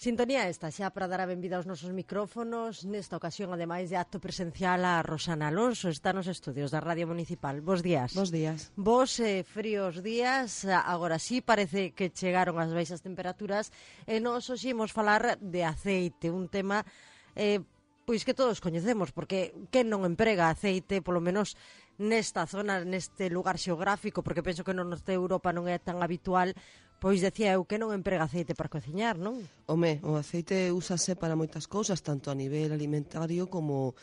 Sintonía esta xa para dar a benvida aos nosos micrófonos. Nesta ocasión, ademais de acto presencial, a Rosana Alonso está nos estudios da Radio Municipal. Bos días. Bos días. Bos fríos días. Agora sí, parece que chegaron as baixas temperaturas e nos hoxe imos falar de aceite, un tema pois que todos coñecemos, porque quen non emprega aceite, polo menos nesta zona, neste lugar xeográfico, porque penso que no norte de Europa non é tan habitual. Pois decía eu que non emprega aceite para cociñar, non? O aceite úsase para moitas cousas, tanto a nivel alimentario como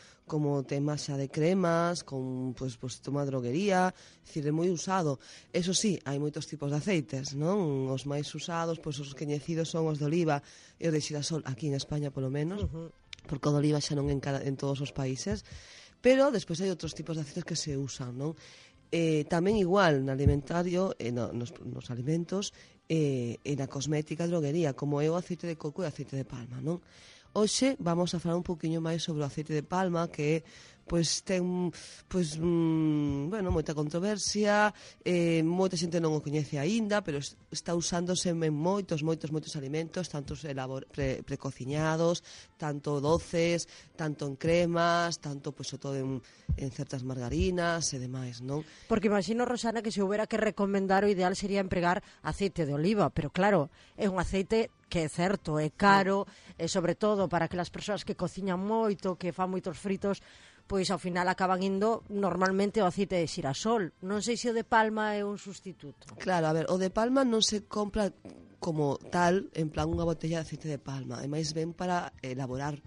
tema xa de cremas, con toma droguería, dicir, é moi usado. Eso sí, hai moitos tipos de aceites, non? Os máis usados, os coñecidos son os de oliva e o de xirasol, aquí en España polo menos, porque o de oliva xa non en todos os países, pero despois hai outros tipos de aceites que se usan, non? Tamén igual no alimentario, nos alimentos, e na cosmética e droguería, como é o aceite de coco e o aceite de palma, non? Hoxe vamos a falar un poquinho máis sobre o aceite de palma, que ten moita controversia, moita xente non o coñece aínda, pero está usándose en moitos alimentos, tanto precociñados, tanto doces, tanto en cremas, tanto todo en certas margarinas e demais, non? Porque imagino, Rosana, que se houbera que recomendar, o ideal sería empregar aceite de oliva, pero claro, é un aceite que é certo, é caro, e sobre todo para aquelas persoas que cociñan moito, que fan moitos fritos, pois ao final acaban indo normalmente o aceite de xirasol. Non sei se o de palma é un sustituto. Claro, a ver, o de palma non se compra como tal, en plan unha botella de aceite de palma, é máis ben para elaborar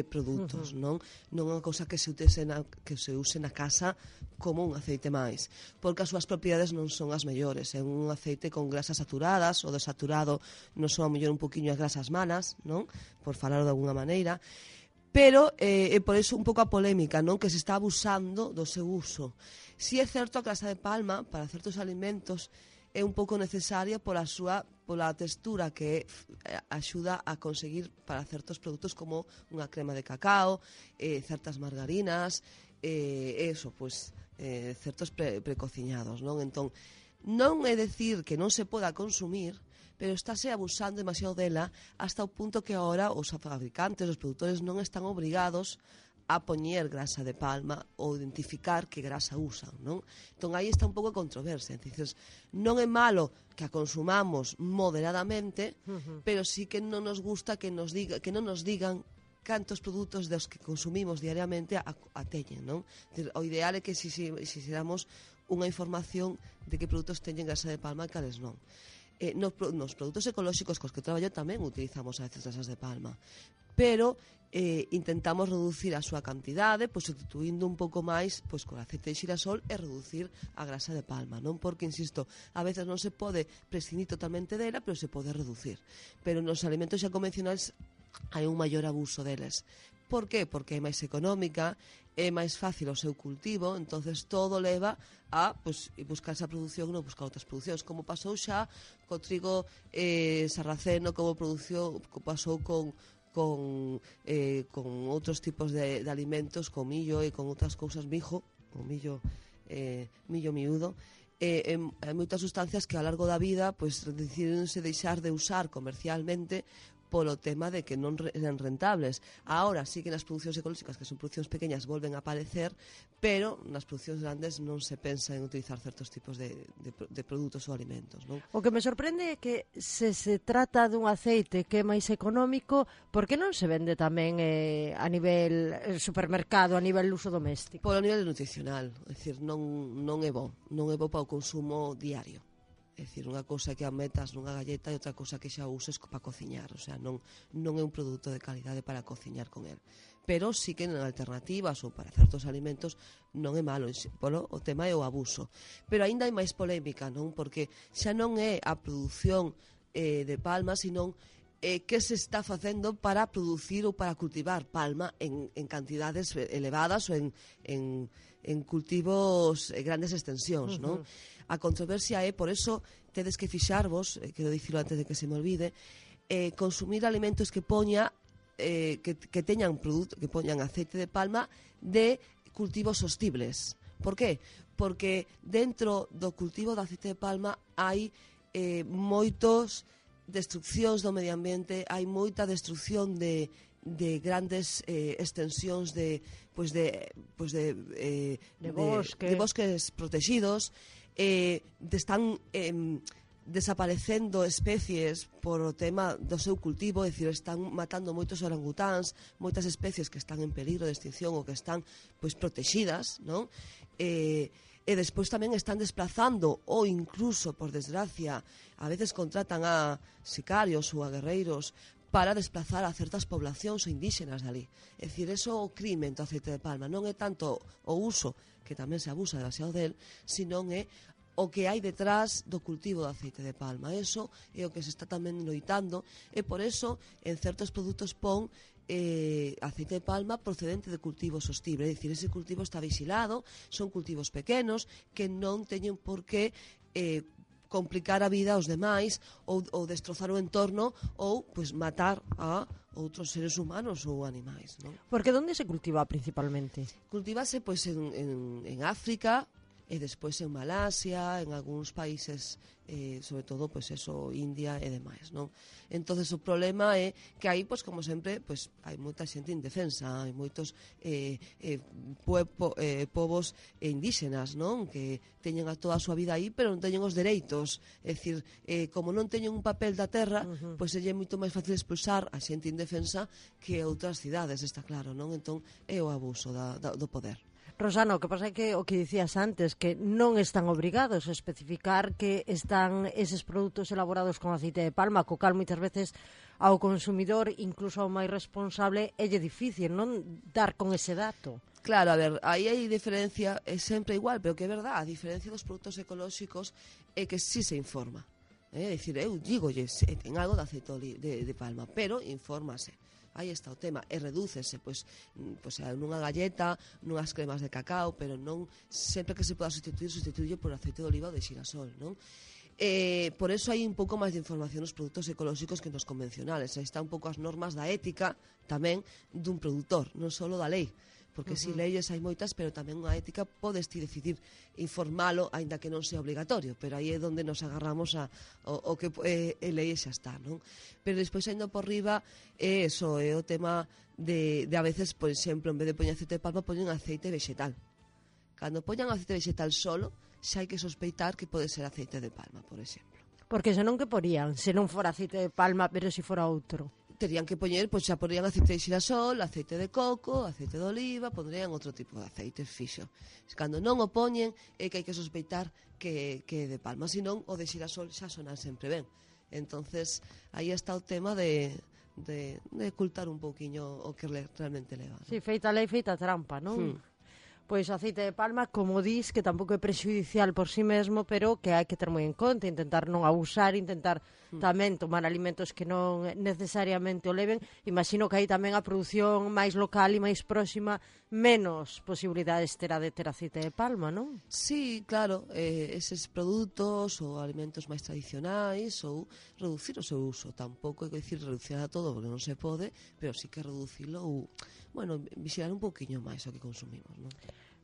produtos, non é unha cousa que se use na casa como un aceite máis, porque as súas propiedades non son as mellores. É un aceite con grasas saturadas, o desaturado non son a mellor un poquinho as grasas malas, non? Por falar de alguna maneira. Pero é por iso un pouco a polémica, non? Que se está abusando do seu uso. Si é certo a grasa de palma para certos alimentos é un pouco necesaria pola textura que axuda a conseguir para certos produtos como unha crema de cacao, certas margarinas, certos precociñados, non? Entón, non é decir que non se poda consumir, pero estáse abusando demasiado dela hasta o punto que agora os fabricantes, os produtores non están obrigados a poñer grasa de palma ou identificar que grasa usan, non? Entón, aí está un pouco a controversia. Entonces, non é malo que a consumamos moderadamente, pero sí que non nos gusta que non nos digan cantos produtos dos que consumimos diariamente a teñen, non? O ideal é que se damos unha información de que produtos teñen grasa de palma e cales non. Nos produtos ecolóxicos cos que traballo tamén utilizamos a veces grasas de palma, pero intentamos reducir a súa cantidade, substituindo un pouco máis con aceite de xirasol e reducir a grasa de palma, non? Porque, insisto, a veces non se pode prescindir totalmente dela, pero se pode reducir. Pero nos alimentos xa convencionais hai un maior abuso deles. Por qué? Porque é máis económica, é máis fácil o seu cultivo, entonces todo leva a buscar esa produción e non buscar outras producións, como pasou xa co trigo sarraceno, como pasou con outros tipos de alimentos, con millo e con outras cousas, millo miúdo. Hai moitas sustancias que ao largo da vida decidironse deixar de usar comercialmente polo tema de que non eran rentables. Ahora sí que nas producións ecolóxicas, que son producións pequeñas, volven a aparecer, pero nas producións grandes non se pensa en utilizar certos tipos de produtos ou alimentos, non? O que me sorprende é que se trata dun aceite que é máis económico, por que non se vende tamén a nivel supermercado, a nivel uso doméstico? Polo nivel nutricional, é dicir, non é bo para o consumo diario. É dicir, unha cousa que a metas nunha galleta e outra cousa que xa uses para cociñar, o sea, non é un produto de calidade para cociñar con el. Pero sí que en alternativas ou para certos alimentos non é malo, o tema é o abuso. Pero aínda hai máis polémica, non? Porque xa non é a produción de palma, senón que se está facendo para producir ou para cultivar palma en cantidades elevadas ou en cultivos grandes extensións, non? A controversia é, por eso, tedes que fixarvos, quero dicirlo antes de que se me olvide, consumir alimentos que poñan aceite de palma de cultivos sostibles. Por qué? Porque dentro do cultivo de aceite de palma hai moitos destruccións do medio ambiente, hai moita destrucción de grandes extensións de bosques protegidos, están desaparecendo especies por o tema do seu cultivo, é dicir, están matando moitos orangutáns, moitas especies que están en peligro de extinción ou que están protegidas, non? E despois tamén están desplazando ou incluso, por desgracia, a veces contratan a sicarios ou a guerreiros para desplazar a certas poblacións indígenas dali. É dicir, eso o crime do aceite de palma non é tanto o uso, que tamén se abusa demasiado del, sino é o que hai detrás do cultivo do aceite de palma. Eso é o que se está tamén loitando, e por eso en certos produtos pon aceite de palma procedente de cultivo sostible. É dicir, ese cultivo está vigilado, son cultivos pequenos que non teñen por que complicar a vida aos demais ou destrozar o entorno ou matar a outros seres humanos ou animais, non? Porque onde se cultiva principalmente? Cultívase en África, e despois en Malasia, en algúns países, sobre todo, India e demais, non? Entonces o problema é que aí, como sempre, hai moita xente indefensa, hai moitos povos indígenas, non? Que teñen a toda a súa vida aí, pero non teñen os dereitos. É dicir, como non teñen un papel da terra, pois é moito máis fácil expulsar a xente indefensa que outras cidades, está claro, non? Entón é o abuso do poder. Rosana, o que pasa é que o que dicías antes, que non están obrigados a especificar que están eses produtos elaborados con aceite de palma, co cal moitas veces ao consumidor, incluso ao máis responsable, é difícil non dar con ese dato. Claro, a ver, aí hai diferencia, é sempre igual, pero que é verdad, a diferencia dos produtos ecolóxicos é que sí se informa. É dicir, eu digolle, ten algo de aceite de palma, pero infórmase. Aí está o tema, e redúcese nunha galleta, nunhas cremas de cacao, pero non sempre que se poda sustituir por aceite de oliva ou de xirasol, non? Por eso hai un pouco máis de información nos produtos ecolóxicos que nos convencionales. Aí está un pouco as normas da ética tamén dun produtor, non só da lei, porque si leyes hai moitas, pero tamén unha ética podes ti decidir informalo, aínda que non sea obrigatorio, pero aí é onde nos agarramos ao que lei xa está, non? Pero despois, ainda por riba, é o tema de a veces, por exemplo, en vez de poñer aceite de palma, poñen aceite vegetal. Cando poñan aceite vegetal solo, xa hai que sospeitar que pode ser aceite de palma, por exemplo. Porque senón que porían, se non fora aceite de palma, pero se fora outro? Terían que poñer, xa porían aceite de xirasol, aceite de coco, aceite de oliva, pondrían outro tipo de aceite fixo. Cando non o poñen, é que hai que sospeitar que é de palma, senón o de xirasol xa sonan sempre ben. Entonces, aí está o tema de ocultar un pouquiño o que realmente leva, ¿no? Sí, feita lei, feita trampa, non? Pois o aceite de palma, como dis, que tampouco é prexudicial por si mesmo, pero que hai que ter moi en conta, intentar non abusar, intentar tamén tomar alimentos que non necesariamente o leven. Imagino que aí tamén a produción máis local e máis próxima, menos posibilidades terá de ter aceite de palma, non? Sí, claro, eses produtos ou alimentos máis tradicionais, ou reducir o seu uso. Tampouco hai que dicir reducir a todo, porque non se pode, pero sí que reducilo ou, vixilar un pouquiño máis o que consumimos, non?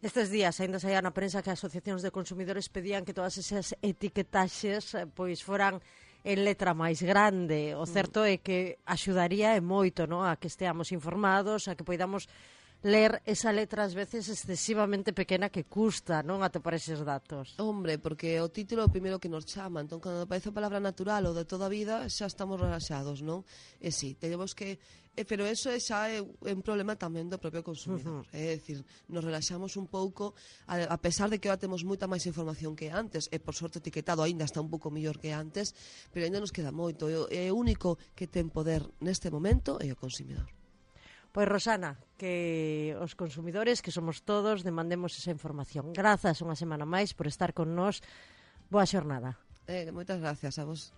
Estes días ainda saía na prensa que as asociacións de consumidores pedían que todas esas etiquetaxes foran en letra máis grande. O certo é que axudaría moito, non, a que esteamos informados, a que poidamos ler esa letra ás veces excesivamente pequena que custa, non, atopar eses datos. Hombre, porque o título é o primeiro que nos chama, entón cando aparece a palabra natural ou de toda a vida xa estamos relaxados, non? E si, tenemos que... pero eso xa é un problema tamén do propio consumidor. É dicir, nos relaxamos un pouco, a pesar de que agora temos moita máis información que antes, e por sorte etiquetado aínda está un pouco mellor que antes, pero aínda nos queda moito. E o único que ten poder neste momento é o consumidor. Pois, Rosana, que os consumidores, que somos todos, demandemos esa información. Grazas unha semana máis por estar con nós. Boa xornada. Moitas gracias a vos.